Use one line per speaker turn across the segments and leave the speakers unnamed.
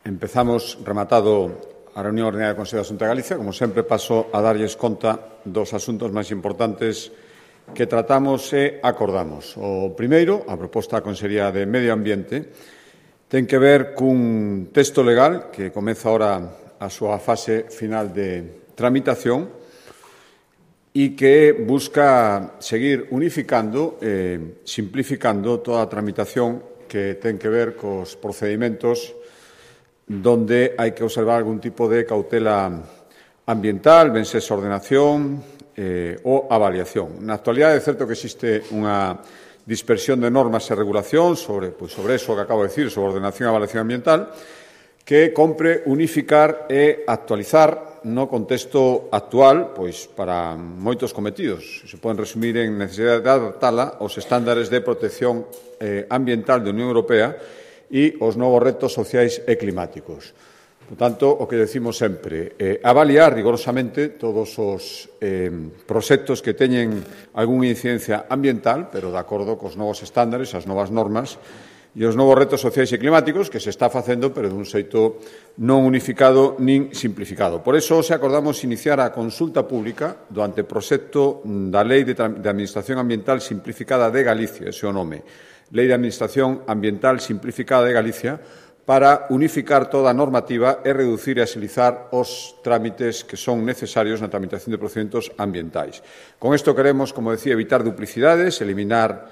Empezamos rematado a reunión ordinaria do Consello da Xunta de Galicia. Como sempre, paso a darlles conta dos asuntos máis importantes que tratamos e acordamos. O primeiro, a proposta da Consellería de Medio Ambiente, ten que ver cun texto legal que comeza ahora a súa fase final de tramitación e que busca seguir unificando e simplificando toda a tramitación que ten que ver cos procedimentos donde hai que observar algún tipo de cautela ambiental, ben sexa ordenación ou avaliación. Na actualidade é certo que existe unha dispersión de normas e regulación sobre eso que acabo de decir, sobre ordenación e avaliación ambiental, que compre unificar e actualizar no contexto actual para moitos cometidos. Se poden resumir en necesidade de adaptala aos estándares de protección ambiental da Unión Europea e os novos retos sociais e climáticos. Por tanto, o que decimos sempre, avaliar rigorosamente todos os proxectos que teñen algunha incidencia ambiental, pero de acordo cos novos estándares, as novas normas e os novos retos sociais e climáticos que se está facendo, pero dun xeito non unificado nin simplificado. Por iso, se acordamos iniciar a consulta pública do anteproxecto da Lei de Administración Ambiental Simplificada de Galicia, ese é o nome, Lei de Administración Ambiental Simplificada de Galicia, para unificar toda a normativa e reducir e axilizar os trámites que son necesarios na tramitación de procedementos ambientais. Con isto queremos, como decía, evitar duplicidades, eliminar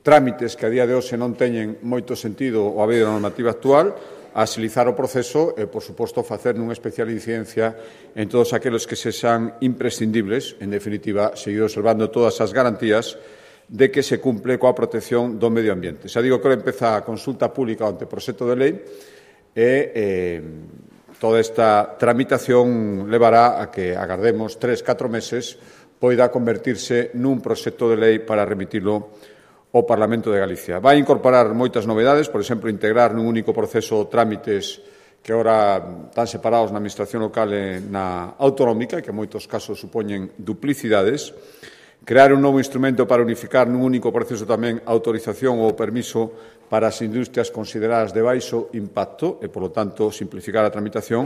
trámites que a día de hoxe non teñen moito sentido o haber da normativa actual, axilizar o proceso e, por suposto, facer nunha especial incidencia en todos aqueles que sexan imprescindibles, en definitiva, seguir observando todas as garantías de que se cumple coa protección do medio ambiente. Xa digo que empeza a consulta pública ante proxecto de lei e toda esta tramitación levará a que agardemos 3-4 meses poida convertirse nun proxecto de lei para remitilo ao Parlamento de Galicia. Vai incorporar moitas novedades, por exemplo, integrar nun único proceso trámites que agora están separados na Administración local e na autonómica e que en moitos casos supoñen duplicidades, crear un novo instrumento para unificar nun único proceso tamén a autorización ou permiso para as industrias consideradas de baixo impacto e, polo tanto, simplificar a tramitación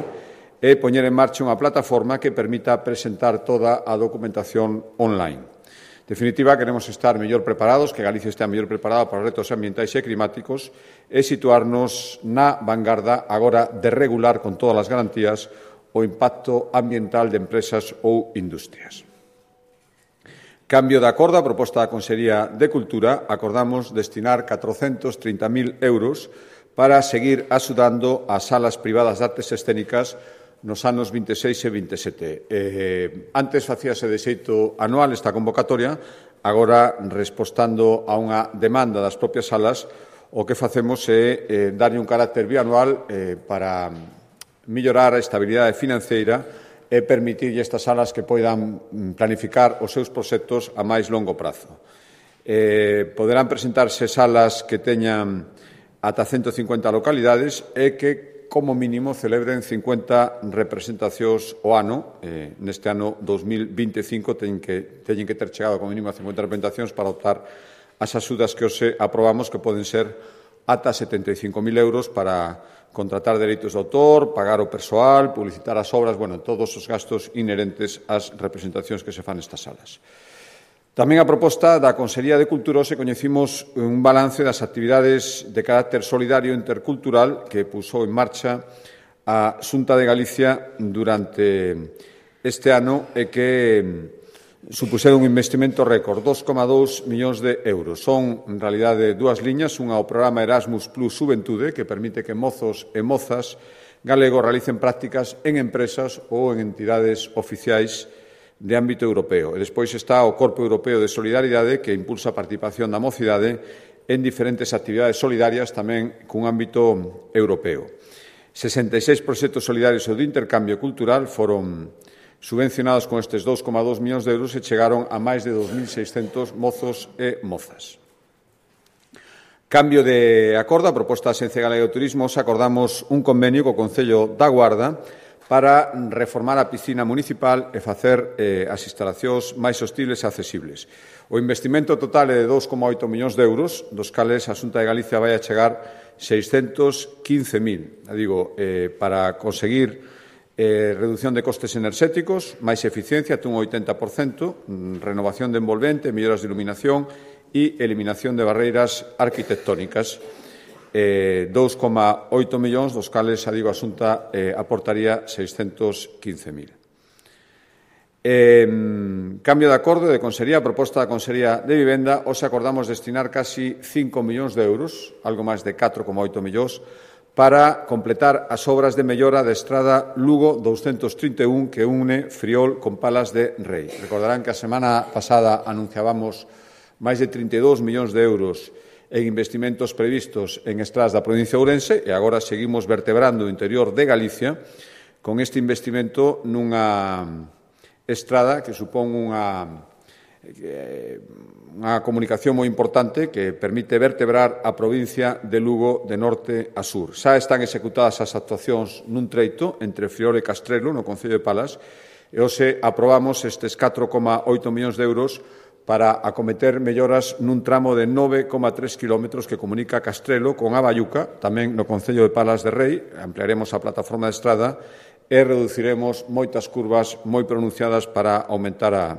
e poñer en marcha unha plataforma que permita presentar toda a documentación online. En definitiva, queremos estar mellor preparados, que Galicia estea mellor preparada para os retos ambientais e climáticos e situarnos na vanguarda agora de regular con todas as garantías o impacto ambiental de empresas ou industrias. Cambio de acordo, a proposta da Consellería de Cultura, acordamos destinar 430.000 euros para seguir axudando as salas privadas de artes escénicas nos anos 26 e 27. Antes facíase de xeito anual esta convocatoria, agora, respostando a unha demanda das propias salas, o que facemos é darlle un carácter bianual para mellorar a estabilidade financeira e permitirlle estas salas que poidan planificar os seus proxectos a máis longo prazo. Poderán presentarse salas que teñan ata 150 localidades e que, como mínimo, celebren 50 representacións ao ano. Neste ano 2025 teñen que ter chegado como mínimo a 50 representacións para optar as axudas que hoxe aprobamos, que poden ser ata 75.000 euros para contratar dereitos de autor, pagar o persoal, publicitar as obras, todos os gastos inherentes ás representacións que se fan nestas salas. Tamén a proposta da Consellería de Cultura hoxe coñecimos un balance das actividades de carácter solidario e intercultural que puxou en marcha a Xunta de Galicia durante este ano e que supuxeron un investimento récord, 2,2 millóns de euros. Son, en realidade, dúas liñas, unha ao programa Erasmus Plus Xuventude, que permite que mozos e mozas galegos realicen prácticas en empresas ou en entidades oficiais de ámbito europeo. E despois está o Corpo Europeo de Solidaridade, que impulsa a participación da mocidade en diferentes actividades solidarias tamén cun ámbito europeo. 66 proxectos solidarios ou de intercambio cultural foron subvencionados con estes 2,2 millóns de euros e chegaron a máis de 2.600 mozos e mozas. Cambio de acordo, a proposta da Axencia Galega de Turismo, acordamos un convenio co Concello da Guarda para reformar a piscina municipal e facer as instalacións máis sostibles e accesibles. O investimento total é de 2,8 millóns de euros, dos cales a Xunta de Galicia vai a chegar 615.000. Digo, para conseguir reducción de costes enerxéticos, máis eficiencia, un 80%, renovación de envolvente, melloras de iluminación e eliminación de barreiras arquitectónicas. 2,8 millóns, dos cales, a Xunta aportaría 615.000. Cambio de acordo de Consellería, a proposta da Consellería de Vivenda, hoxe acordamos destinar casi 5 millóns de euros, algo máis de 4,8 millóns, para completar as obras de mellora da estrada Lugo 231 que une Friol con Palas de Rei. Recordarán que a semana pasada anunciábamos máis de 32 millóns de euros en investimentos previstos en estradas da provincia de Ourense e agora seguimos vertebrando o interior de Galicia con este investimento nunha estrada que supón unha comunicación moi importante que permite vertebrar a provincia de Lugo de norte a sur. Xa están executadas as actuacións nun treito entre Friol e Castrelo, no concello de Palas, e hoxe aprobamos estes 4,8 millóns de euros para acometer melloras nun tramo de 9,3 kilómetros que comunica Castrelo con Abayuca, tamén no concello de Palas de Rei. Ampliaremos a plataforma de estrada e reduciremos moitas curvas moi pronunciadas para aumentar a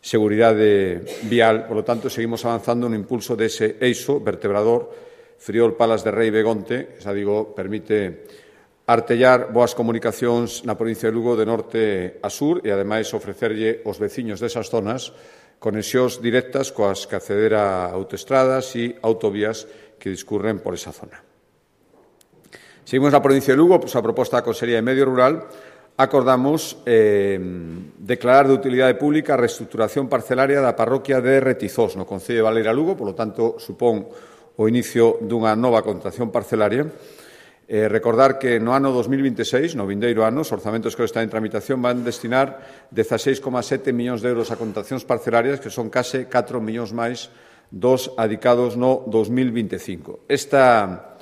seguridade vial. Por lo tanto, seguimos avanzando no impulso dese eixo vertebrador Friol, Palas de Rei, Begonte, permite artellar boas comunicacións na provincia de Lugo de norte a sur e, ademais, ofrecerlle aos veciños desas zonas conexións directas coas que acceder a autoestradas e autovías que discurren por esa zona. Seguimos na provincia de Lugo, a proposta da Consellería de Medio Rural, acordamos declarar de utilidade pública a reestructuración parcelaria da parroquia de Retizós, no concello de Baleira Lugo, por lo tanto, supón o inicio dunha nova contratación parcelaria. Recordar que no ano 2026, no vindeiro ano, os orzamentos que están en tramitación van destinar 16,7 millóns de euros a contratacións parcelarias, que son case 4 millóns máis dos adicados no 2025. Esta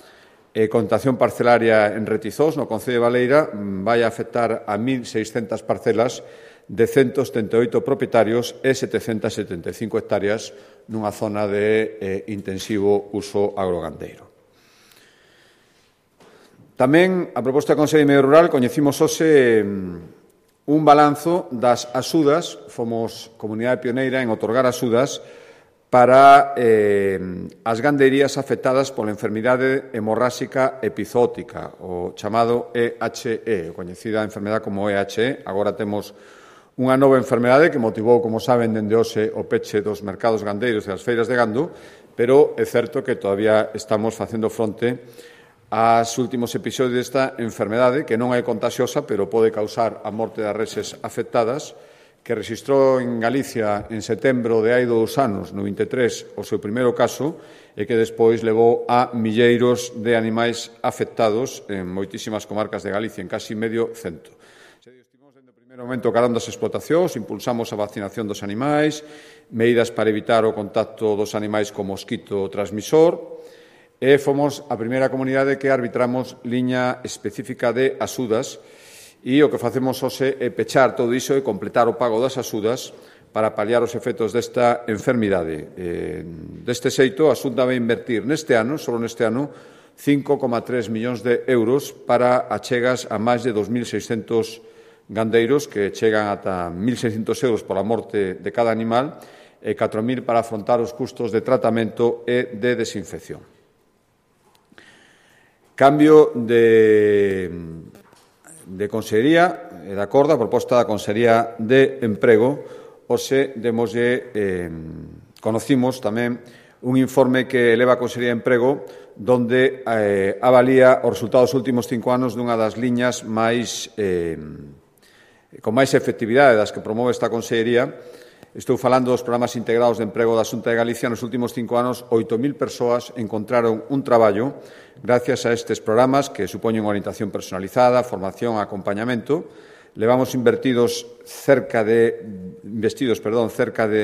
contratación parcelaria en Retizós, no concello de Baleira, vai afectar a 1.600 parcelas de 178 propietarios e 775 hectáreas nunha zona de intensivo uso agrogandeiro. Tamén, a proposta da Consellería de Medio Rural, coñecimos hoxe un balanzo das axudas. Fomos comunidade pioneira en otorgar axudas para as gandeirías afectadas pola enfermidade hemorráxica epizótica, o chamado EHE, coñecida enfermedade como EHE. Agora temos unha nova enfermedade que motivou, como saben, dende hoxe o peche dos mercados gandeiros e das feiras de gando, pero é certo que todavía estamos facendo fronte aos últimos episodios desta enfermedade, que non é contagiosa, pero pode causar a morte das reses afectadas, que rexistrou en Galicia en setembro de hai 2 anos, no 23, o seu primeiro caso, e que despois levou a milleiros de animais afectados en moitísimas comarcas de Galicia, en casi medio cento. Estivemos dende o primeiro momento carando as explotacións, impulsamos a vacinación dos animais, medidas para evitar o contacto dos animais co mosquito transmisor, e fomos a primeira comunidade que arbitramos liña específica de axudas e o que facemos hoxe é pechar todo iso e completar o pago das axudas para paliar os efectos desta enfermidade. Deste xeito, a Xunta vai invertir neste ano, só neste ano, 5,3 millóns de euros para achegas a máis de 2.600 gandeiros que chegan ata 1.600 euros pola morte de cada animal e 4.000 para afrontar os custos de tratamento e de desinfección. Cambio de Consellería, de acordo, a proposta da Consellería de Emprego, hoxe conocimos tamén un informe que eleva a Consellería de Emprego donde avalía os resultados dos últimos 5 anos dunha das liñas con máis efectividade das que promove esta Consellería. Estou falando dos programas integrados de emprego da Xunta de Galicia. Nos últimos 5 anos, 8.000 persoas encontraron un traballo gracias a estes programas que supoñen orientación personalizada, formación, acompañamento. Levamos investidos cerca de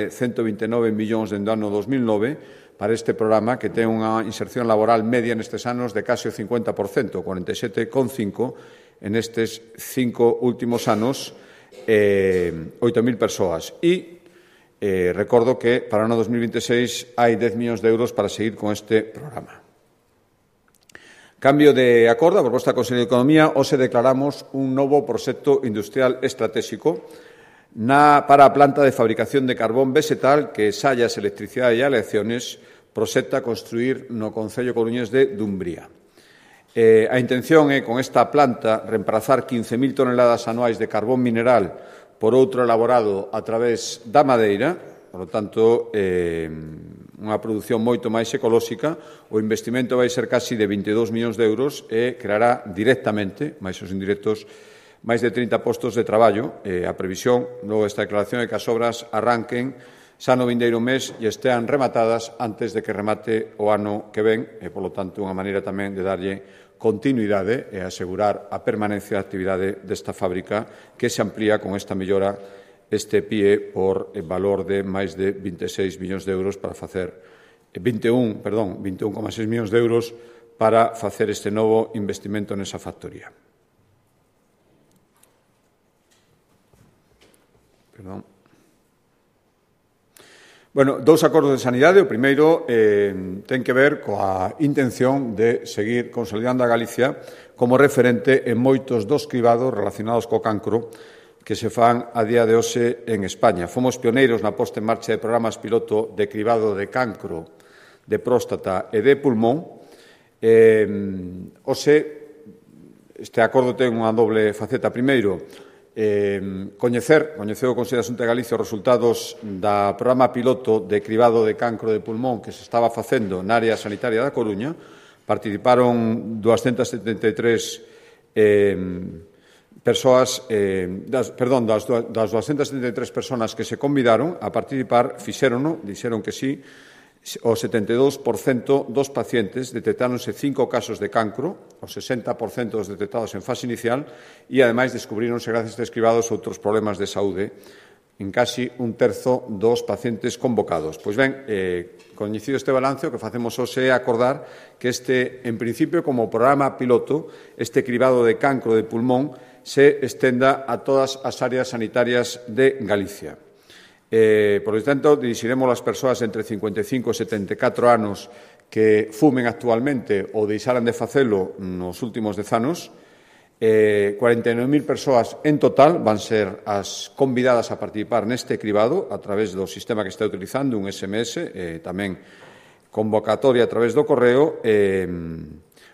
129 millóns dende o ano 2009 para este programa, que ten unha inserción laboral media nestes anos de case o 50%, 47,5% en estes 5 últimos anos, 8.000 persoas. E recordo que para o ano 2026 hai 10 millóns de euros para seguir con este programa. Cambio de acordo, a proposta do Consello de Economía, hoxe declaramos un novo proxecto industrial estratégico para a planta de fabricación de carbón vegetal que Sallas Electricidade e Aleaciones proxecta construir no concello coruñés de Dumbría. A intención é, con esta planta, reemplazar 15.000 toneladas anuais de carbón mineral por outro elaborado a través da madeira, por lo tanto, unha produción moito máis ecolóxica. O investimento vai ser casi de 22 millóns de euros e creará directamente, máis os indirectos, máis de 30 postos de traballo. A previsión, logo esta declaración, é que as obras arranquen xa no vindeiro mes e estean rematadas antes de que remate o ano que ven e, polo tanto, unha maneira tamén de darlle continuidade e asegurar a permanencia da actividade desta fábrica que se amplía con esta mellora este PIE por valor de máis de 26 millóns de euros para facer 21,6 millóns de euros para facer este novo investimento nesa factoría. Bueno, dous acordos de sanidade. O primeiro ten que ver coa intención de seguir consolidando a Galicia como referente en moitos dos cribados relacionados co cancro que se fan a día de hoxe en España. Fomos pioneiros na posta en marcha de programas piloto de cribado de cancro, de próstata e de pulmón. Hoxe, este acordo ten unha doble faceta. Primeiro, coñeceu o Consello da Xunta de Galicia os resultados do programa piloto de cribado de cancro de pulmón que se estaba facendo na área sanitaria da Coruña. Participaron 273 persoas, das 273 persoas que se convidaron a participar, fixérono, dixeron que sí, o 72% dos pacientes detectáronse 5 casos de cancro, o 60% dos detectados en fase inicial, e, ademais, descubríronse, gracias a estes cribados, outros problemas de saúde en casi un terzo dos pacientes convocados. Pois ben, coñecido este balance, o que facemos hoxe é acordar que este, en principio, como programa piloto, este cribado de cancro de pulmón se estenda a todas as áreas sanitarias de Galicia. Por lo tanto, dirixiremos as persoas entre 55 e 74 anos que fumen actualmente ou deixaran de facelo nos últimos 10 anos. 49.000 persoas en total van ser as convidadas a participar neste cribado a través do sistema que está utilizando, un SMS, tamén convocatoria a través do correo.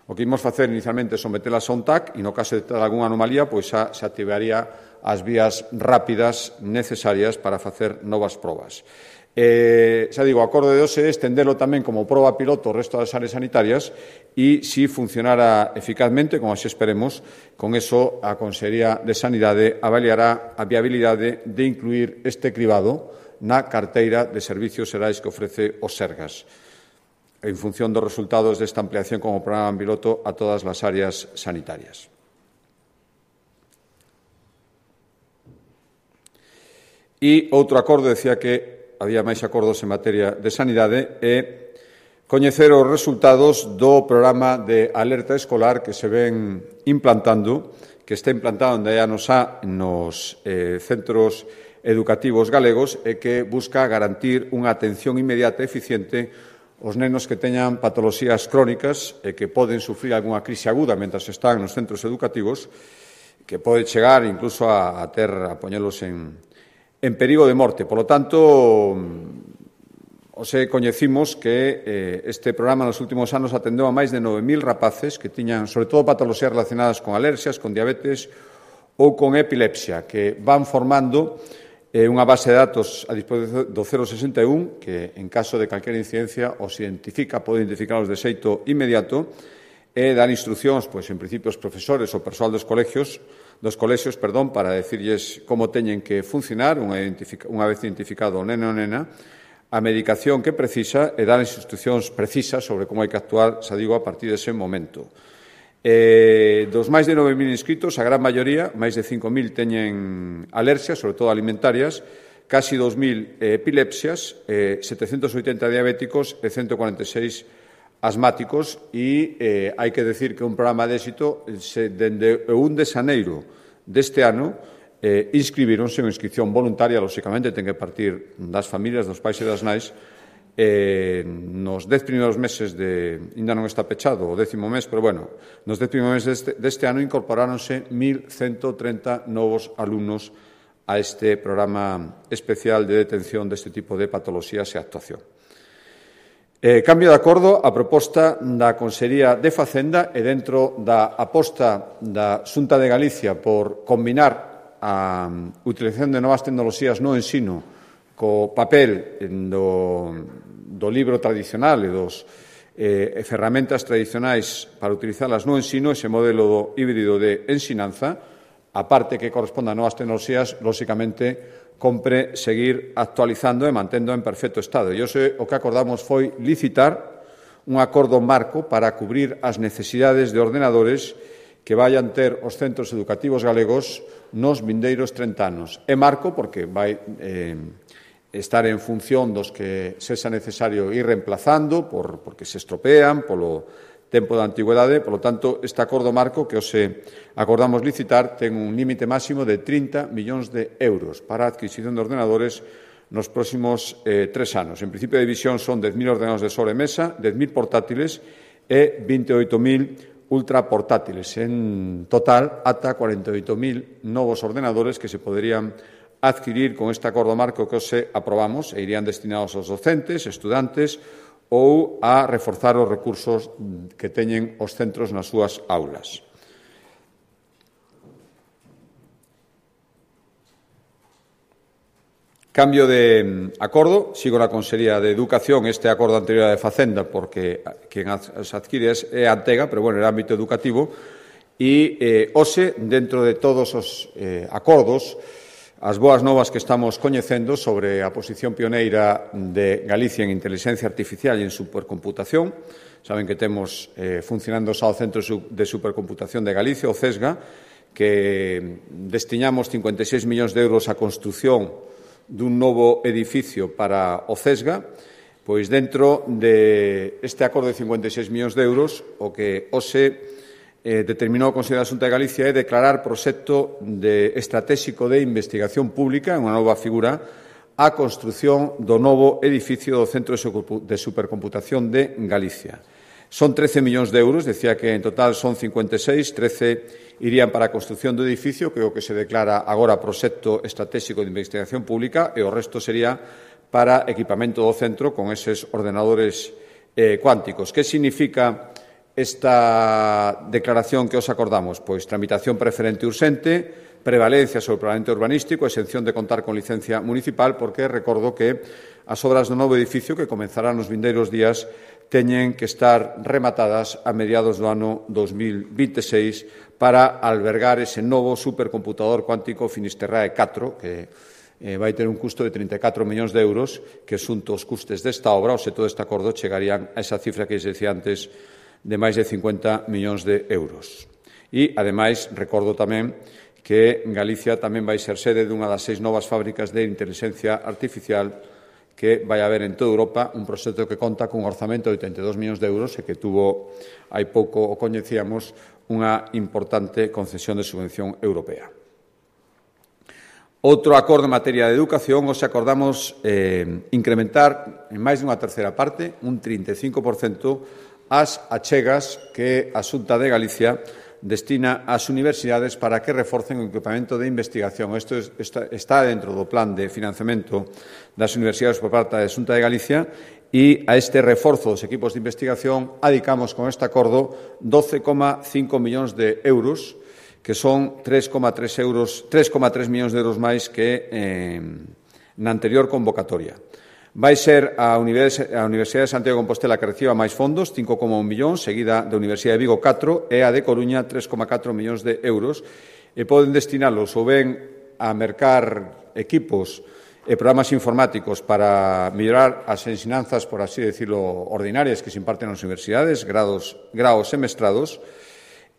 O que imos facer inicialmente é sometelas a un TAC e, no caso de ter algunha anomalía, pois xa se activaría as vías rápidas necesarias para facer novas probas. Xa digo, o acordo de hoxe é estendelo tamén como proba piloto ao resto das áreas sanitarias e, se funcionara eficazmente, como así esperemos, con eso a Consellería de Sanidade avaliará a viabilidade de incluir este cribado na carteira de servicios xerais que ofrece o Sergas, en función dos resultados desta ampliación como programa piloto a todas as áreas sanitarias. E outro acordo, decía que había máis acordos en materia de sanidade, é coñecer os resultados do programa de alerta escolar que se ven implantando, que está implantado onde hai anos nos centros educativos galegos e que busca garantir unha atención inmediata e eficiente os nenos que teñan patoloxías crónicas e que poden sufrir algunha crise aguda mentras están nos centros educativos, que pode chegar incluso a poñelos en perigo de morte. Por lo tanto, hoxe coñecimos que este programa nos últimos anos atendeu a máis de 9.000 rapaces que tiñan, sobre todo, patoloxías relacionadas con alerxias, con diabetes ou con epilepsia, que van formando unha base de datos a disposición do 061 que, en caso de calquera incidencia, os pode identificarlos de xeito inmediato e dar instruccións, pois, en principio, aos profesores ou persoal dos colexios, para decirlles como teñen que funcionar unha vez identificado o neno ou nena, a medicación que precisa e dar instruccións precisas sobre como hai que actuar, xa digo, a partir dese momento. Dos máis de 9.000 inscritos, a gran maioría, máis de 5.000 teñen alerxias, sobre todo alimentarias, casi 2.000 epilepsias, 780 diabéticos e 146 asmáticos e hai que decir que un programa de éxito dende o 1 de xaneiro deste ano inscribironse en inscripción voluntaria, lóxicamente ten que partir das familias, dos pais e das nais, nos 10 primeiros meses ainda non está pechado o 10º mes, pero bueno, nos 10 primeiros meses deste ano incorporáronse 1.130 novos alumnos a este programa especial de detención deste tipo de patoloxías e actuación. Cambio de acordo a proposta da Consellería de Facenda e dentro da aposta da Xunta de Galicia por combinar a utilización de novas tecnoloxías no ensino co papel do libro tradicional e dos ferramentas tradicionais para utilizalas no ensino, ese modelo híbrido de ensinanza, a parte que corresponde a novas tecnoloxías, lóxicamente, compre seguir actualizando e mantendo en perfecto estado. E hoxe o que acordamos foi licitar un acordo marco para cubrir as necesidades de ordenadores que vayan ter os centros educativos galegos nos vindeiros 30 anos. É marco porque vai estar en función dos que sexa necesario ir reemplazando porque se estropean polo tempo da antigüedade. Por lo tanto, este acordo marco que hoxe acordamos licitar ten un límite máximo de 30 millóns de euros para a adquisición de ordenadores nos próximos 3 anos. En principio de división son 10.000 ordenadores de sobremesa, 10.000 portátiles e 28.000 ultraportátiles. En total, ata 48.000 novos ordenadores que se poderían adquirir con este acordo marco que hoxe aprobamos e irían destinados aos docentes, estudantes ou a reforzar os recursos que teñen os centros nas súas aulas. Cambio de acordo, sigo na Consellería de Educación, este acordo anterior de Facenda, porque quen as adquire é a Antega, pero, bueno, era ámbito educativo, e hoxe, dentro de todos os acordos, as boas novas que estamos coñecendo sobre a posición pioneira de Galicia en inteligencia artificial e en supercomputación. Saben que temos funcionando xa o Centro de Supercomputación de Galicia, o CESGA, que destiñamos 56 millóns de euros á construción dun novo edificio para o CESGA. Pois dentro deste acordo de 56 millóns de euros, o que hoxe determinou o Consello da Xunta de Galicia é declarar proxecto estratéxico de investigación pública, unha nova figura, a construción do novo edificio do Centro de Supercomputación de Galicia. Son 13 millóns de euros, decía que en total son 56, 13 irían para a construción do edificio, que é o que se declara agora proxecto estratéxico de investigación pública, e o resto sería para equipamento do centro con eses ordenadores cuánticos. Que significa esta declaración que os acordamos? Pois tramitación preferente urxente, prevalencia sobre o planeamento urbanístico, exención de contar con licencia municipal, porque recordo que as obras do novo edificio que comenzarán nos vindeiros días teñen que estar rematadas a mediados do ano 2026 para albergar ese novo supercomputador cuántico Finisterrae 4, que vai ter un custo de 34 millóns de euros, que xunto aos custes desta obra, ou se todo este acordo, chegarían a esa cifra que decía antes de máis de 50 millóns de euros. E, ademais, recordo tamén que Galicia tamén vai ser sede dunha das 6 novas fábricas de inteligencia artificial que vai haber en toda Europa, un proxecto que conta cun orzamento de 82 millóns de euros e que tuvo, hai pouco o coñecíamos, unha importante concesión de subvención europea. Outro acordo en materia de educación, os acordamos incrementar en máis dunha terceira parte, un 35%, as achegas que a Xunta de Galicia destina ás universidades para que reforcen o equipamento de investigación. Isto está dentro do plan de financiamento das universidades por parte da Xunta de Galicia e a este reforzo dos equipos de investigación adicamos con este acordo 12,5 millóns de euros, que son 3,3 millóns de euros máis que na anterior convocatoria. Vai ser a Universidade de Santiago de Compostela que reciba máis fondos, 5,1 millóns, seguida da Universidade de Vigo 4 e a de Coruña 3,4 millóns de euros, e poden destinalos ou ben a mercar equipos e programas informáticos para mellorar as ensinanzas, por así decirlo, ordinarias que se imparten nas universidades, graos e mestrados,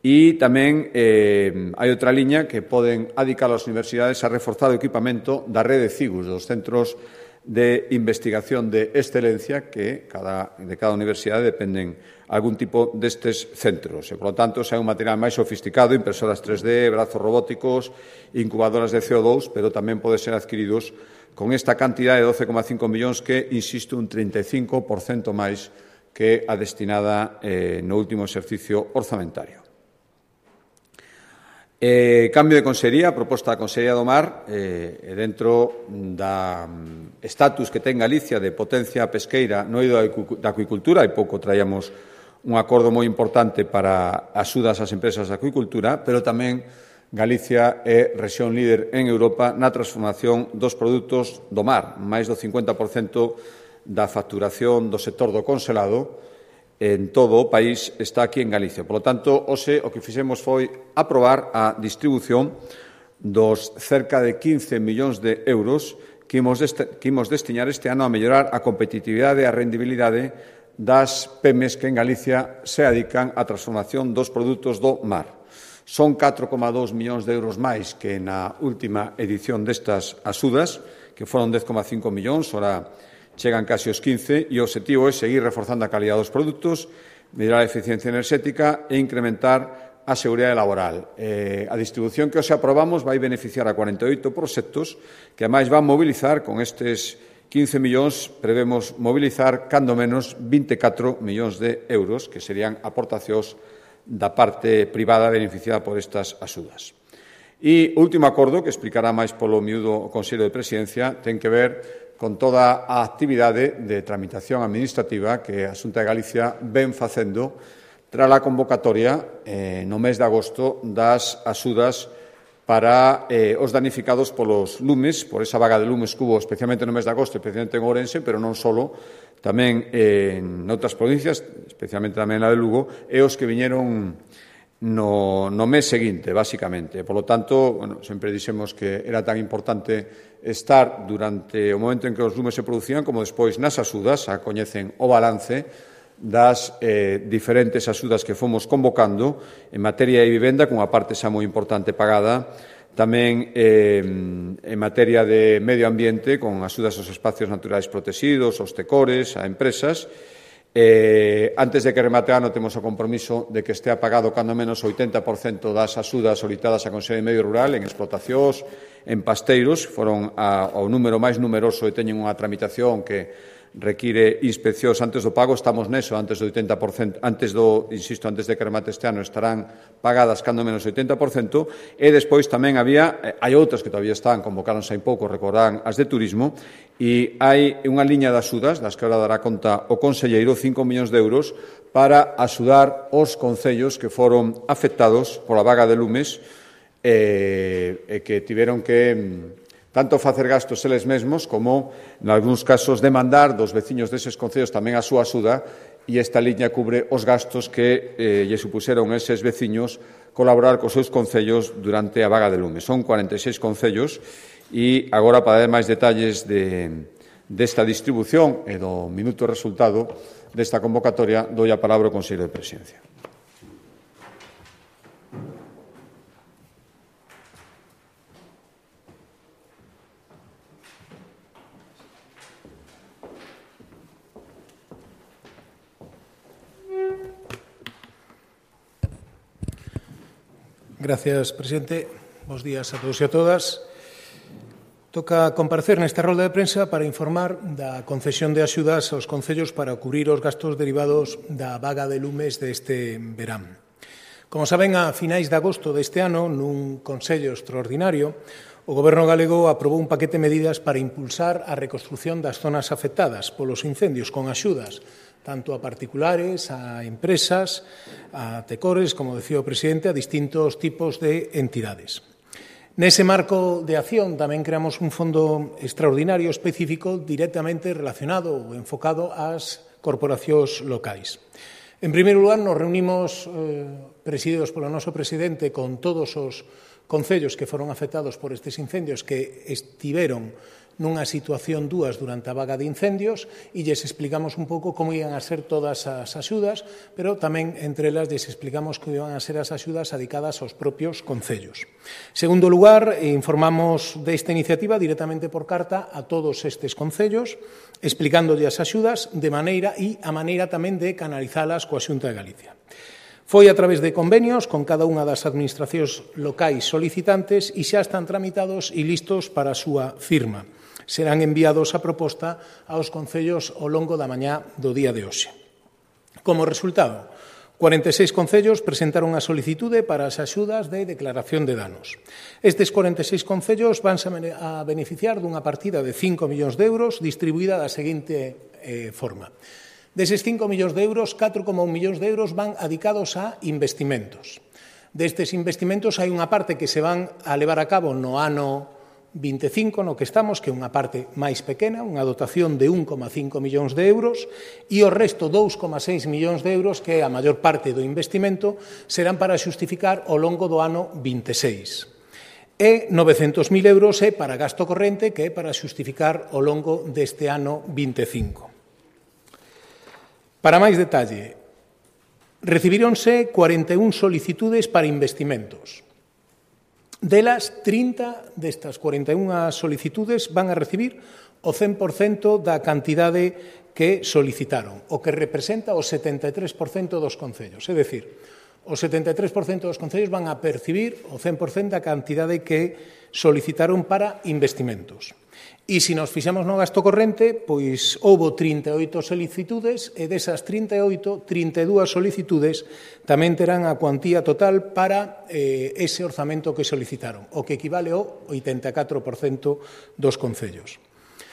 e tamén hai outra liña que poden adicar as universidades a reforzar o equipamento da rede CIGUS, dos centros de investigación de excelencia que de cada universidade dependen algún tipo destes centros. E, por lo tanto, xa é un material máis sofisticado, impresoras 3D, brazos robóticos, incubadoras de CO2, pero tamén pode ser adquiridos con esta cantidad de 12,5 millóns que, insisto, un 35% máis que a destinada no último exercicio orzamentario. Cambio de consellería, proposta da Consellería do Mar, dentro da estatus que ten Galicia de potencia pesqueira no eido da acuicultura, hai pouco traíamos un acordo moi importante para axudas ás empresas de acuicultura, pero tamén Galicia é rexión líder en Europa na transformación dos produtos do mar. Mais do 50% da facturación do sector do conselado en todo o país está aquí en Galicia. Por lo tanto, hoxe o que fixemos foi aprobar a distribución dos cerca de 15 millóns de euros que imos destinar este ano a mellorar a competitividade e a rendibilidade das PEMES que en Galicia se adican á transformación dos produtos do mar. Son 4,2 millóns de euros máis que na última edición destas axudas, que foron 10,5 millóns, ora chegan casi os 15, e o obxectivo é seguir reforzando a calidad dos produtos, mellorar a eficiencia enerxética e incrementar a seguridade laboral. A distribución que hoxe aprobamos vai beneficiar a 48 proxectos que, ademais, van mobilizar con estes 15 millóns, prevemos mobilizar cando menos 24 millóns de euros, que serían aportacións da parte privada beneficiada por estas axudas. E o último acordo, que explicará máis polo miúdo o Consello de Presidencia, ten que ver con toda a actividade de tramitación administrativa que a Xunta de Galicia ven facendo tras a convocatoria no mes de agosto das axudas para os danificados polos lumes, por esa vaga de lumes que hubo especialmente no mes de agosto, especialmente en Ourense, pero non só, tamén en outras provincias, especialmente tamén na de Lugo, e os que viñeron no mes seguinte, basicamente. Por lo tanto, sempre dixemos que era tan importante estar durante o momento en que os lumes se producían como despois nas axudas, a coñecen o balance das diferentes axudas que fomos convocando en materia de vivenda, cunha parte xa moi importante pagada, tamén en materia de medio ambiente, con axudas aos espacios naturais protegidos, aos tecores, a empresas. Antes de que remate o ano temos o compromiso de que estea pagado cando menos o 80% das axudas solicitadas á Consellería de Medio Rural en explotacións, en pasteiros, foron ao número máis numeroso e teñen unha tramitación que require inspeccións antes do pago. Estamos neso, antes do 80%, antes de que remate este ano, estarán pagadas cando menos o 80%, e despois tamén hai outras que todavía están, convocáronse hai pouco, recordarán as de turismo, e hai unha liña de axudas, das que ahora dará conta o conselleiro, 5 millóns de euros, para axudar os concellos que foron afectados pola vaga de lumes e que tiveron que tanto facer gastos eles mesmos como, en algúns casos, demandar dos veciños deses concellos tamén a súa axuda, e esta liña cubre os gastos que lle supuseron a eses veciños colaborar cos seus concellos durante a vaga de lumes. Son 46 concellos, e agora, para dar máis detalles desta distribución e do minuto resultado desta convocatoria, doi a palabra ao Consello de Presidencia.
Gracias, presidente. Bos días a todos e a todas. Toca comparecer nesta rolda de prensa para informar da concesión de axudas aos concellos para cubrir os gastos derivados da vaga de lumes deste verán. Como saben, a finais de agosto deste ano, nun Consello extraordinario, o Goberno galego aprobou un paquete de medidas para impulsar a reconstrución das zonas afectadas polos incendios con axudas tanto a particulares, a empresas, a tecores, como decía o presidente, a distintos tipos de entidades. Nese marco de acción tamén creamos un fondo extraordinario específico directamente relacionado ou enfocado ás corporacións locais. En primeiro lugar, nos reunimos presididos polo noso presidente, con todos os concellos que foron afectados por estes incendios que estiveron nunha situación dúas durante a vaga de incendios e lles explicamos un pouco como iban a ser todas as axudas, pero tamén entre elas lles explicamos como iban a ser as axudas adicadas aos propios concellos. Segundo lugar, informamos desta iniciativa directamente por carta a todos estes concellos, explicándolle as axudas de maneira e a maneira tamén de canalizalas coa Xunta de Galicia. Foi a través de convenios con cada unha das administracións locais solicitantes e xa están tramitados e listos para a súa firma. Serán enviados a proposta aos concellos ao longo da mañá do día de hoxe. Como resultado, 46 concellos presentaron a solicitude para as axudas de declaración de danos. Estes 46 concellos vanse a beneficiar dunha partida de 5 millóns de euros distribuída da seguinte forma. Deses 5 millóns de euros, 4,1 millóns de euros van adicados a investimentos. Destes investimentos hai unha parte que se van a levar a cabo no ano 25, no que estamos, que é unha parte máis pequena, unha dotación de 1,5 millóns de euros, e o resto, 2,6 millóns de euros, que é a maior parte do investimento, serán para xustificar ao longo do ano 26. E 900.000 euros é para gasto corrente, que é para xustificar ao longo deste ano 25. Para máis detalle, recibíronse 41 solicitudes para investimentos. Delas, 30 destas 41 solicitudes van a recibir o 100% da cantidade que solicitaron, o que representa o 73% dos concellos. É dicir, o 73% dos concellos van a percibir o 100% da cantidade que solicitaron para investimentos. E se nos fixamos no gasto corrente, pois houbo 38 solicitudes e desas 38, 32 solicitudes tamén terán a cuantía total para ese orzamento que solicitaron, o que equivale ao 84% dos concellos.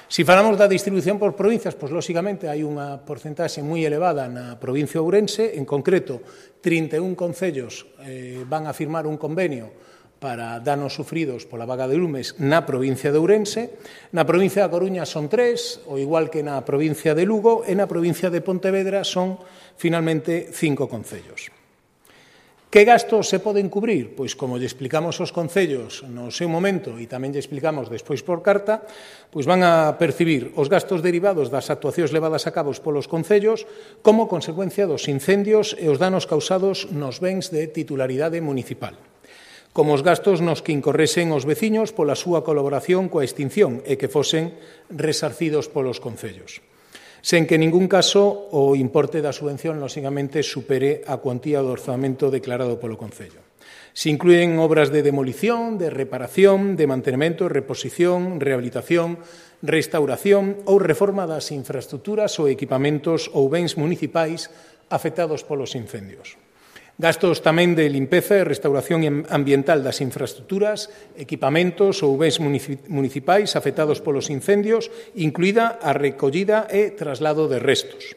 Se falamos da distribución por provincias, pois lóxicamente hai unha porcentaxe moi elevada na provincia de Ourense, en concreto 31 concellos van a firmar un convenio para danos sufridos pola vaga de lumes na provincia de Ourense. Na provincia da Coruña son 3, ao igual que na provincia de Lugo, e na provincia de Pontevedra son, finalmente, 5 concellos. Que gastos se poden cubrir? Pois, como lle explicamos aos concellos no seu momento e tamén lle explicamos despois por carta, pois van a percibir os gastos derivados das actuacións levadas a cabo polos concellos como consecuencia dos incendios e os danos causados nos bens de titularidade municipal, como os gastos nos que incorresen os veciños pola súa colaboración coa extinción e que fosen resarcidos polos concellos, sen que en ningún caso o importe da subvención, lóxicamente, supere a cuantía do orzamento declarado polo concello. Se inclúen obras de demolición, de reparación, de mantemento, reposición, rehabilitación, restauración ou reforma das infraestructuras ou equipamentos ou bens municipais afectados polos incendios. Gastos tamén de limpeza e restauración ambiental das infraestructuras, equipamentos ou bens municipais afectados polos incendios, incluída a recollida e traslado de restos.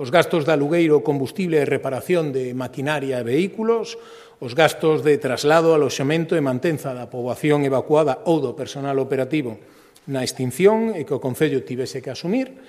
Os gastos de alugueiro, combustible e reparación de maquinaria e vehículos, os gastos de traslado, aloxamento e mantenza da poboación evacuada ou do personal operativo na extinción e que o Concello tivese que asumir,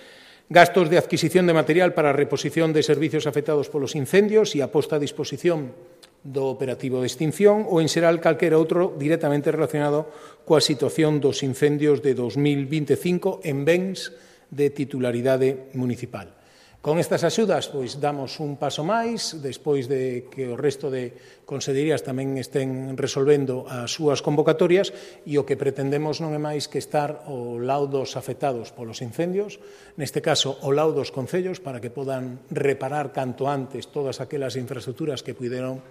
gastos de adquisición de material para a reposición de servicios afectados polos incendios e a posta a disposición do operativo de extinción ou, en xeral, calquera outro directamente relacionado coa situación dos incendios de 2025 en bens de titularidade municipal. Con estas axudas, pois, damos un paso máis, despois de que o resto de consellerías tamén estén resolvendo as súas convocatorias, e o que pretendemos non é máis que estar ao lado dos afectados polos incendios, neste caso ao lado dos concellos, para que podan reparar canto antes todas aquelas infraestructuras que puderon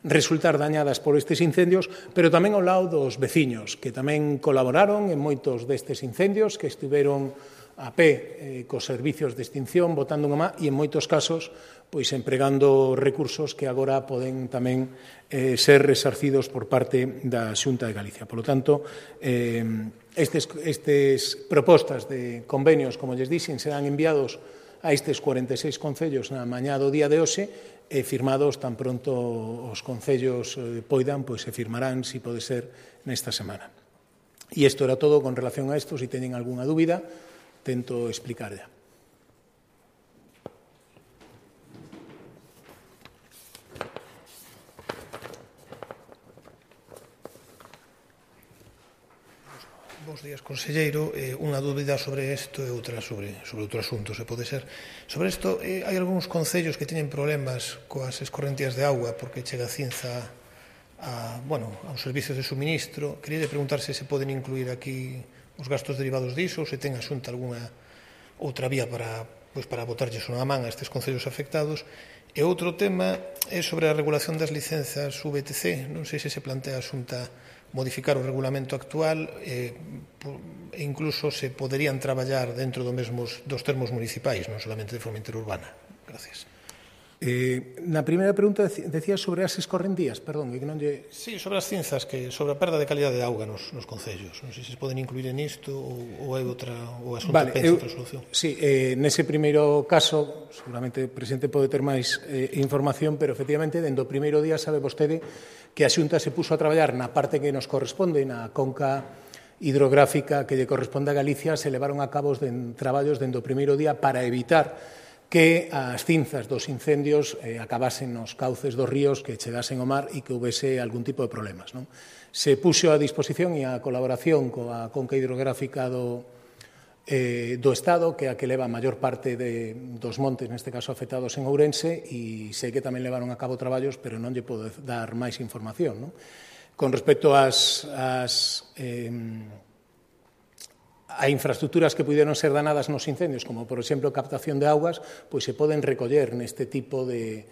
resultar dañadas por estes incendios, pero tamén ao lado dos veciños, que tamén colaboraron en moitos destes incendios, que estiveron a pé cos servicios de extinción, botando unha má, e en moitos casos pois empregando recursos que agora poden tamén ser resarcidos por parte da Xunta de Galicia. Por lo tanto, estes propostas de convenios, como lles dixen, serán enviados a estes 46 concellos na mañá do día de hoxe e firmados tan pronto os concellos poidan, pois se firmarán, se pode ser, nesta semana. E isto era todo con relación a isto. Se teñen algunha dúbida, tento explicar ya. Bos días, conselleiro. Unha dúbida sobre isto e outra sobre outro asunto, se pode ser. Sobre isto, hai algúns concellos que teñen problemas coas escorrentías de auga porque chega cinza aos servicios de suministro. Queria preguntar se poden incluir aquí os gastos derivados diso ou se ten a Xunta algunha outra vía para botarlles unha man a estes concellos afectados. E outro tema é sobre a regulación das licenzas VTC. Non sei se se plantea a Xunta modificar o regulamento actual e incluso se poderían traballar dentro dos termos municipais, non solamente de forma interurbana. Gracias.
Na primeira pregunta decía sobre as escorrentías, perdón, que non lle...
Sí, sobre as cinzas, sobre a perda de calidade de auga nos concellos. Non sei se poden incluir en isto ou é outra, ou a Xunta pensa outra solución.
Sí, nese primeiro caso, seguramente o presidente pode ter máis información, pero efectivamente, dende o primeiro día sabe vostede que a Xunta se puso a traballar na parte que nos corresponde, na conca hidrográfica que lle corresponde a Galicia, se levaron a cabo traballos dende o primeiro día para evitar que as cinzas dos incendios acabasen nos cauces dos ríos, que chegasen ao mar e que houvese algún tipo de problemas. Se puxo a disposición e a colaboración coa conca hidrográfica do Estado, que é a que leva a maior parte dos montes, neste caso afectados en Ourense, e sei que tamén levaron a cabo traballos, pero non lle podo dar máis información. Con respecto a infraestructuras que puderon ser danadas nos incendios, como, por exemplo, captación de augas, pois se poden recoller neste tipo de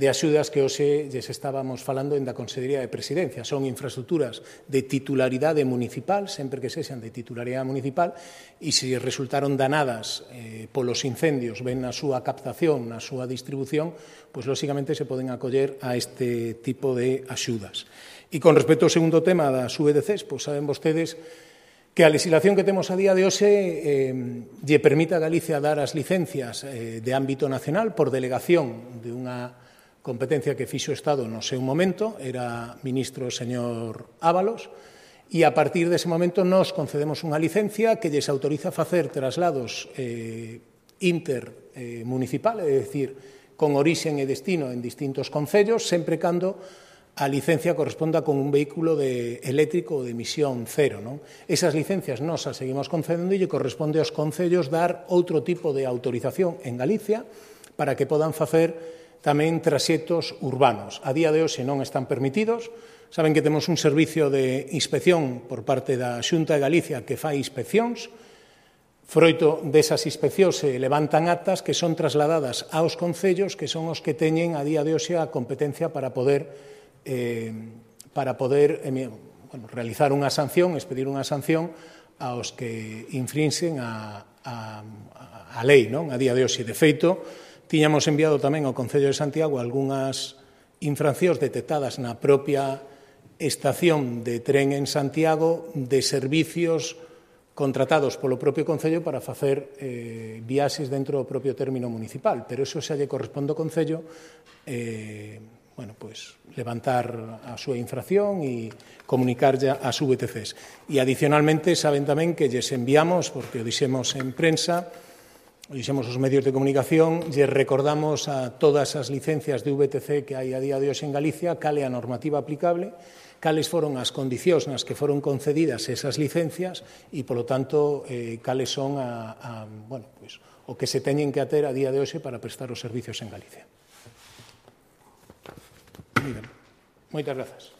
axudas que hoxe lles estábamos falando en da Consellería de Presidencia. Son infraestructuras de titularidade municipal, sempre que sexan de titularidade municipal, e se resultaron danadas polos incendios, ben na súa captación, na súa distribución, pois, lóxicamente, se poden acoller a este tipo de axudas. E con respecto ao segundo tema das VDCs, pois saben vostedes que a legislación que temos a día de hoxe lle permite a Galicia dar as licencias de ámbito nacional por delegación de unha competencia que fixo o Estado no seu momento, era ministro o señor Ábalos, e a partir dese momento nos concedemos unha licencia que lles autoriza a facer traslados intermunicipal, é dicir, con orixen e destino en distintos concellos, sempre cando a licencia corresponda con un vehículo eléctrico de emisión cero. Esas licencias nos as seguimos concedendo e lle corresponde aos concellos dar outro tipo de autorización en Galicia para que podan facer tamén traxectos urbanos. A día de hoxe non están permitidos. Saben que temos un servicio de inspección por parte da Xunta de Galicia que fai inspeccións. Froito desas inspeccións se levantan actas que son trasladadas aos concellos, que son os que teñen a día de hoxe a competencia para poder realizar unha sanción, expedir unha sanción aos que infrinxen a lei, non? A día de hoxe. De feito, tiñamos enviado tamén ao Concello de Santiago algunhas infraccións detectadas na propia estación de tren en Santiago de servicios contratados polo propio Concello para facer viaxes dentro do propio término municipal, pero iso xa lle corresponde ao Concello levantar a súa infracción e comunicarlle as VTCs. E, adicionalmente, saben tamén que lles enviamos, porque o dixemos en prensa, o dixemos os medios de comunicación, lles recordamos a todas as licencias de VTC que hai a día de hoxe en Galicia, cal é a normativa aplicable, cales foron as condicións nas que foron concedidas esas licencias e, polo tanto, cales son o que se teñen que ater a día de hoxe para prestar os servicios en Galicia. Moitas grazas.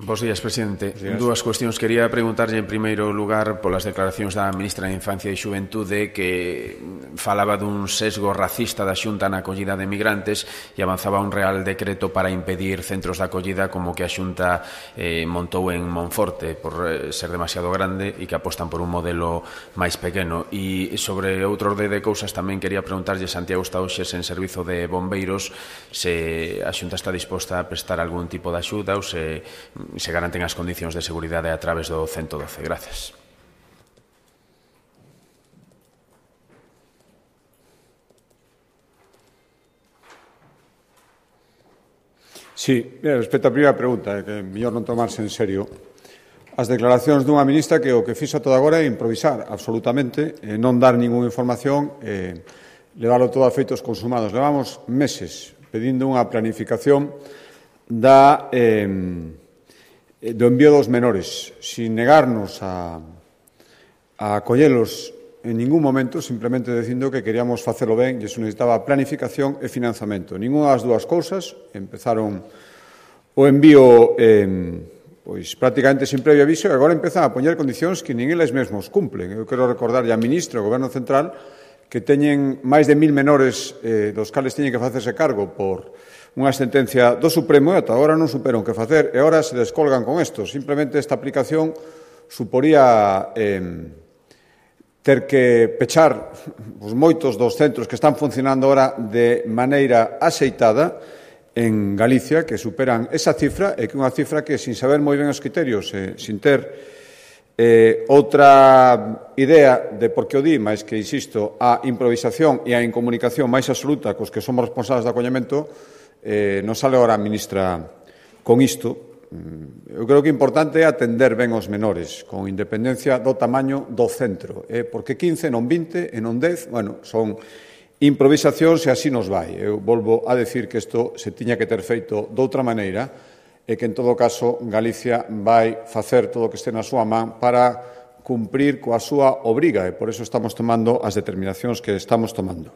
Bos días, presidente. Dúas cuestións. Quería preguntarlle en primeiro lugar polas declaracións da ministra de Infancia e Xuventude que falaba dun sesgo racista da Xunta na acollida de migrantes e avanzaba un real decreto para impedir centros de acollida como que a Xunta montou en Monforte por ser demasiado grande e que apostan por un modelo máis pequeno. E sobre outro orde de cousas tamén quería preguntarlle, Santiago está hoxe en servizo de bombeiros, se a Xunta está disposta a prestar algún tipo de axuda ou se garanten as condicións de seguridade a través do 112. Gracias.
Sí, respecto á primeira pregunta, que é mellor non tomarse en serio, as declaracións dunha ministra que o que fixo toda agora é improvisar absolutamente, non dar ninguna información, leválo todo a feitos consumados. Levamos meses pedindo unha planificación do envío dos menores, sin negarnos a acollelos en ningún momento, simplemente dicindo que queríamos facelo ben e iso necesitaba planificación e financiamento. Ninguna das dúas cousas. Empezaron o envío pois prácticamente sin previo aviso e agora empezan a poñer condicións que nin eles mesmos cumplen. Eu quero recordarlle á ministra, ao Goberno Central, que teñen máis de 1.000 menores dos cales teñen que facerse cargo por unha sentencia do Supremo e ata agora non superan que facer e agora se descolgan con isto. Simplemente esta aplicación suporía ter que pechar os moitos dos centros que están funcionando ahora de maneira axeitada en Galicia, que superan esa cifra, e que unha cifra que, sin saber moi ben os criterios, sin ter outra idea de por que o di, máis que, insisto, a improvisación e a incomunicación máis absoluta cos que somos responsables de acollemento, non sale agora a ministra con isto. Eu creo que o importante é atender ben os menores, con independencia do tamaño do centro, porque 15, non 20 e non 10, bueno, son improvisacións e así nos vai. Eu volvo a decir que isto se tiña que ter feito doutra maneira e que, en todo caso, Galicia vai facer todo o que este na súa man para cumprir coa súa obriga e por iso estamos tomando as determinacións que estamos tomando.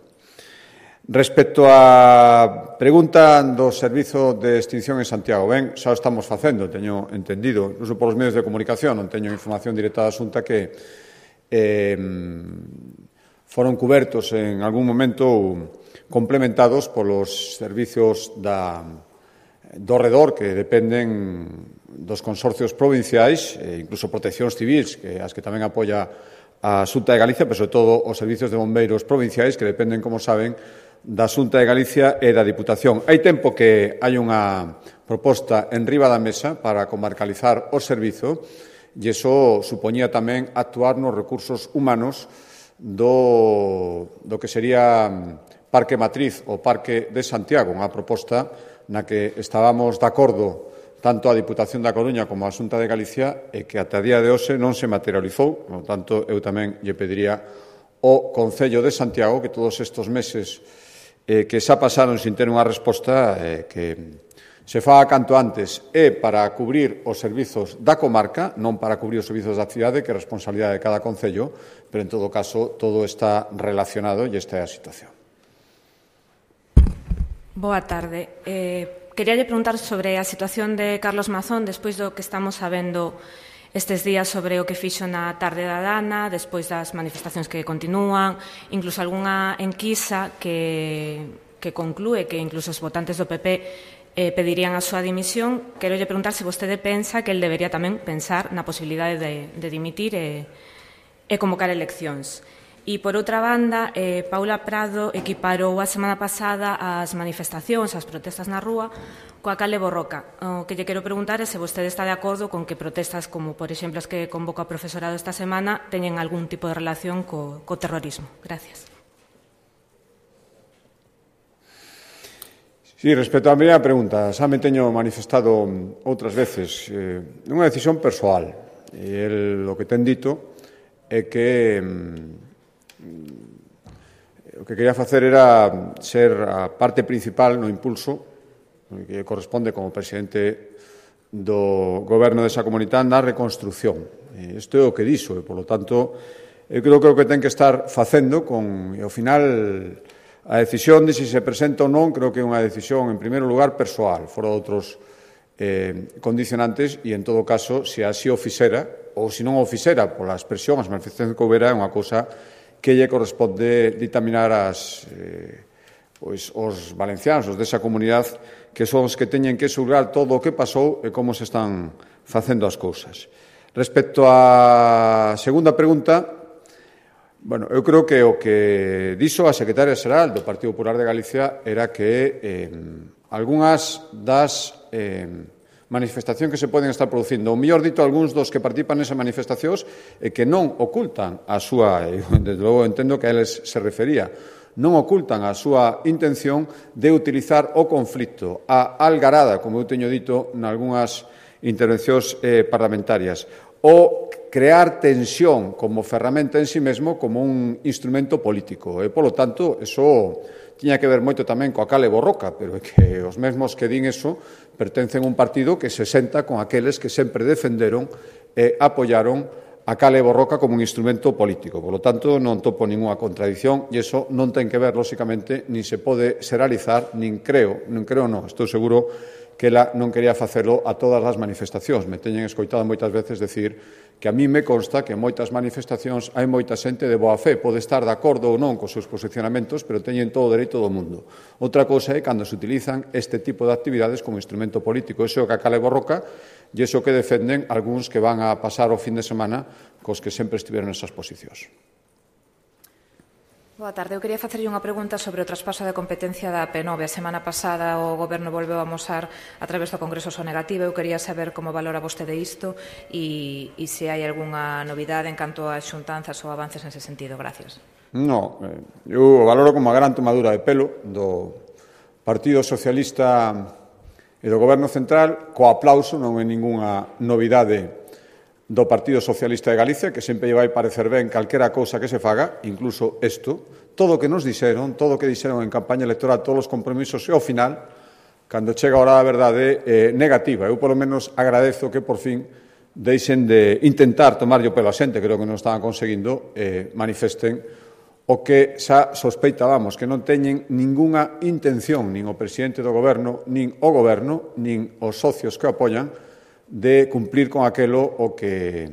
Respecto á pregunta do Servizo de Extinción en Santiago, ben, xa o estamos facendo, teño entendido, incluso polos medios de comunicación, non teño información directa da Xunta que foron cubertos en algún momento complementados polos servizos do redor que dependen dos consorcios provinciais, incluso proteccións civils, as que tamén apoia a Xunta de Galicia, pero sobre todo os servizos de bombeiros provinciais que dependen, como saben, da Xunta de Galicia e da Diputación. Hai tempo que hai unha proposta en riba da mesa para comarcalizar o servizo e iso supoñía tamén actuar nos recursos humanos do que sería Parque Matriz ou Parque de Santiago, unha proposta na que estábamos de acordo tanto a Diputación da Coruña como a Xunta de Galicia e que ata día de hoxe non se materializou. Por tanto, eu tamén lle pediría ao Concello de Santiago que todos estes meses que xa pasaron sin ter unha resposta que se faga canto antes para cubrir os servizos da comarca, non para cubrir os servizos da cidade, que é responsabilidade de cada concello, pero en todo caso todo está relacionado e esta é a situación.
Boa tarde. Queríalle preguntar sobre a situación de Carlos Mazón despois do que estamos sabendo estes días sobre o que fixo na tarde da Dana, despois das manifestacións que continúan, incluso algunha enquisa que conclúe que incluso os votantes do PP pedirían a súa dimisión. Quero lle preguntar se vostede pensa que el debería tamén pensar na posibilidade de dimitir e convocar eleccións. E, por outra banda, Paula Prado equiparou a semana pasada as manifestacións, as protestas na rúa, coa Cale Borroca. O que lle quero preguntar é se vostede está de acordo con que protestas como, por exemplo, as que convoca o profesorado esta semana teñen algún tipo de relación co terrorismo. Gracias.
Sí, respecto á primeira pregunta, xa me teño manifestado outras veces unha decisión persoal. E o que ten dito é que o que quería facer era ser a parte principal no impulso que corresponde como presidente do goberno desa comunidade na reconstrucción. Isto é o que dixo e, polo tanto, eu creo que o que ten que estar facendo e, ao final, a decisión de se presenta ou non, creo que é unha decisión, en primeiro lugar, persoal, fora de outros condicionantes e, en todo caso, se así o fixera ou se non o fixera pola expresión, as manifestacións que houbera, é unha cousa que lle corresponde ditaminar os valencianos, os desa comunidade, que son os que teñen que xulgar todo o que pasou e como se están facendo as cousas. Respecto á segunda pregunta, bueno, eu creo que o que dixo a secretaria xeral do Partido Popular de Galicia era que algunhas das manifestacións que se poden estar producindo, ou mellor dito, algúns dos que participan nesas manifestacións e que non ocultan a súa, desde logo entendo que a eles se refería, non ocultan a súa intención de utilizar o conflito, a algarada, como eu teño dito nalgúnas intervencións parlamentarias, ou crear tensión como ferramenta en sí mesmo como un instrumento político. E, polo tanto, eso tiña que ver moito tamén coa cal e borroca, pero é que os mesmos que din eso pertencen a un partido que se senta con aqueles que sempre defenderon e apoiaron a cal e borroca como un instrumento político. Por lo tanto, non topo ninguna contradición e iso non ten que ver, lóxicamente, nin se pode xeralizar, nin creo, estou seguro que ela non quería facelo a todas as manifestacións. Me teñen escoitado moitas veces decir que a mí me consta que en moitas manifestacións hai moita xente de boa fe, pode estar de acordo ou non cos seus posicionamentos, pero teñen todo o dereito do mundo. Outra cousa é cando se utilizan este tipo de actividades como instrumento político. Iso é o que a cal e borroca e iso que defenden algúns que van a pasar o fin de semana cos que sempre estiveron nesas posicións.
Boa tarde. Eu quería facerlle unha pregunta sobre o traspaso de competencia da P9. A semana pasada o Goberno volveu a amosar a través do Congreso so negativo. Eu quería saber como valora vostede isto e se hai algunha novidade en canto a xuntanzas ou avances nese sentido. Gracias.
No, eu o valoro como a gran tomadura de pelo do Partido Socialista e do Goberno Central, co aplauso, non é ningunha novidade do Partido Socialista de Galicia, que sempre lle vai parecer ben calquera cousa que se faga, incluso isto, todo o que nos dixeron, todo o que dixeron en campaña electoral, todos os compromisos, e ao final, cando chega a hora da verdade, negativa. Eu, polo menos, agradezo que, por fin, deixen de intentar tomarlle o pelo a xente, creo que non estaban conseguindo, manifesten o que xa sospeitábamos, que non teñen ningunha intención, nin o presidente do Goberno, nin o Goberno, nin os socios que o apoian, de cumplir con aquelo o que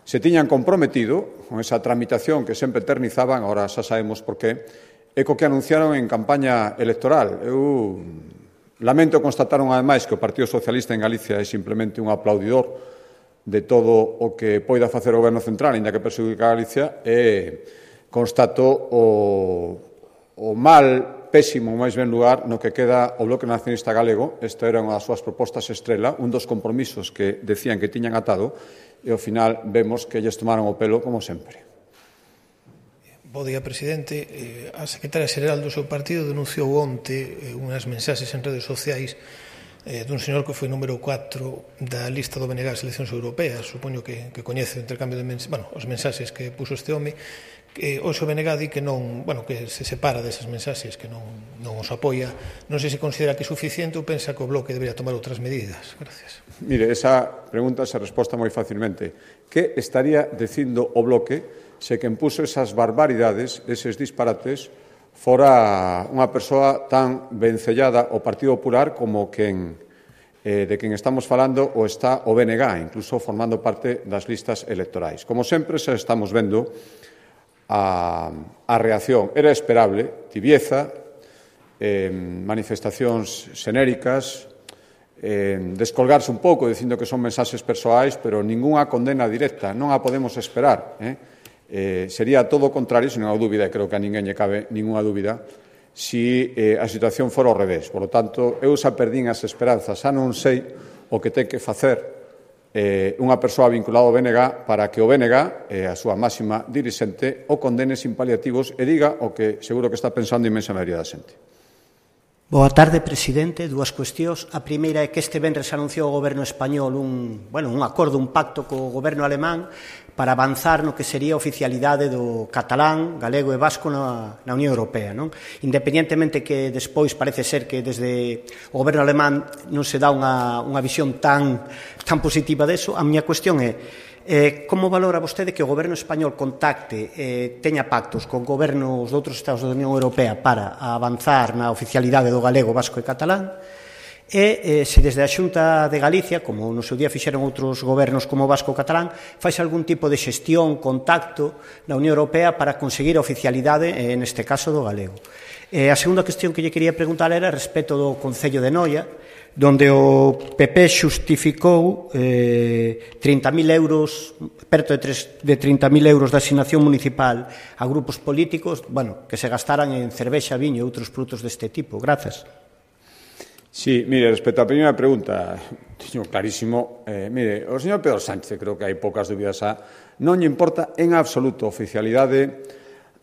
se tiñan comprometido, con esa tramitación que sempre eternizaban, agora xa sabemos por qué, e co que anunciaron en campaña electoral. Eu lamento constatar unha vez máis que o Partido Socialista en Galicia é simplemente un aplaudidor de todo o que poida facer o Goberno Central, ainda que perxudica a Galicia, e constato o mal pésimo, máis ben lugar, no que queda o Bloque Nacionalista Galego. Esta era unha das súas propostas estrela, un dos compromisos que decían que tiñan atado, e ao final vemos que lles tomaron o pelo como sempre.
Bo día, presidente. A secretaria xeral do seu partido denunciou onte unhas mensaxes en redes sociais dun señor que foi número 4 da lista do BNG das eleccións europeas. Supoño que coñece o intercambio de os mensaxes que puso este home. Hoxe o BNG di que non, que se separa desas mensaxes, que non os apoia. Non sei se considera que é suficiente ou pensa que o Bloque debería tomar outras medidas. Gracias.
Mire, esa pregunta se resposta moi facilmente. Que estaría dicindo o Bloque se quen puso esas barbaridades, eses disparates, fora unha persoa tan vencellada ao Partido Popular como de quen estamos falando o está o BNG, incluso formando parte das listas electorais. Como sempre, xa estamos vendo a reacción. Era esperable, tibieza, manifestacións xenéricas, descolgarse un pouco dicindo que son mensaxes persoais, pero ningunha condena directa, non a podemos esperar. Sería todo o contrario, se non há dúbida, e creo que a ninguén lle cabe ninguna dúbida, si a situación fora ao revés. Por lo tanto, eu xa perdín as esperanzas, xa non sei o que ten que facer unha persoa vinculada ao BNG para que o BNG, a súa máxima dirixente, o condene sin paliativos e diga o que seguro que está pensando a inmensa maioría da xente.
Boa tarde, presidente. Dúas cuestións. A primeira é que este venres anunciou o Goberno español un acordo, un pacto co Goberno alemán para avanzar no que sería a oficialidade do catalán, galego e vasco na Unión Europea, non? Independentemente que despois parece ser que desde o Goberno alemán non se dá unha visión tan positiva deso, a miña cuestión é como valora vostede que o Goberno español contacte, teña pactos con gobernos de outros estados da Unión Europea para avanzar na oficialidade do galego, vasco e catalán? E se desde a Xunta de Galicia, como no seu día fixeron outros gobernos como o vasco ou catalán, faz algún tipo de xestión, contacto na Unión Europea para conseguir a oficialidade, neste caso, do galego. A segunda cuestión que lle quería preguntar era respecto do Concello de Noia, donde o PP xustificou 30.000 euros, perto de 30.000 euros de asignación municipal a grupos políticos, que se gastaran en cervexa, viño e outros produtos deste tipo. Grazas.
Sí, mire, respecto á primeira pregunta, teño clarísimo, mire, o señor Pedro Sánchez, creo que hai poucas dúbidas non lle importa en absoluto a oficialidade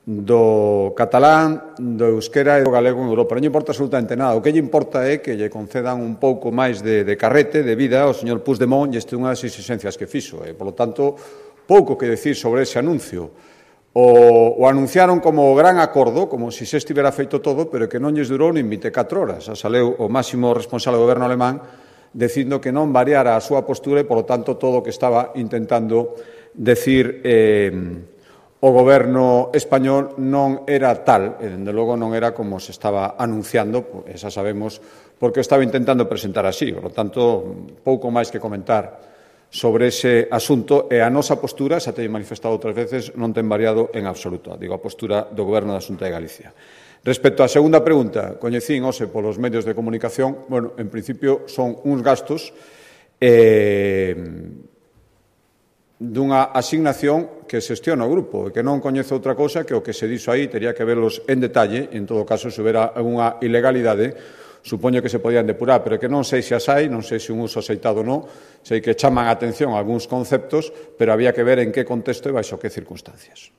do catalán, do euskera e do galego en Europa. Non lle importa absolutamente nada. O que lle importa é que lle concedan un pouco máis de carrete, de vida, ao señor Puigdemont, e este é unha das exigencias que fixo. Por lo tanto, pouco que decir sobre ese anuncio. O anunciaron como gran acordo, como se se estivera feito todo, pero que non lles durou nin 24 horas. Saleu o máximo responsable do goberno alemán dicindo que non variara a súa postura e, por lo tanto, todo o que estaba intentando decir o goberno español non era tal, e, dende logo, non era como se estaba anunciando, esa sabemos, porque estaba intentando presentar así. Por lo tanto, pouco máis que comentar sobre ese asunto, e a nosa postura, xa teño manifestado outras veces, non ten variado en absoluto. Digo, a postura do Goberno da Xunta de Galicia. Respecto á segunda pregunta, coñecín hoxe polos medios de comunicación, bueno, en principio son uns gastos dunha asignación que xestiona o grupo e que non coñece outra cousa que o que se dixo aí, tería que verlos en detalle, e en todo caso, se houbera algunha ilegalidade, supoño que se podían depurar, pero que non sei se as hai, non sei se un uso aceitado ou non, sei que chaman a atención algúns conceptos, pero había que ver en que contexto e baixo que circunstancias.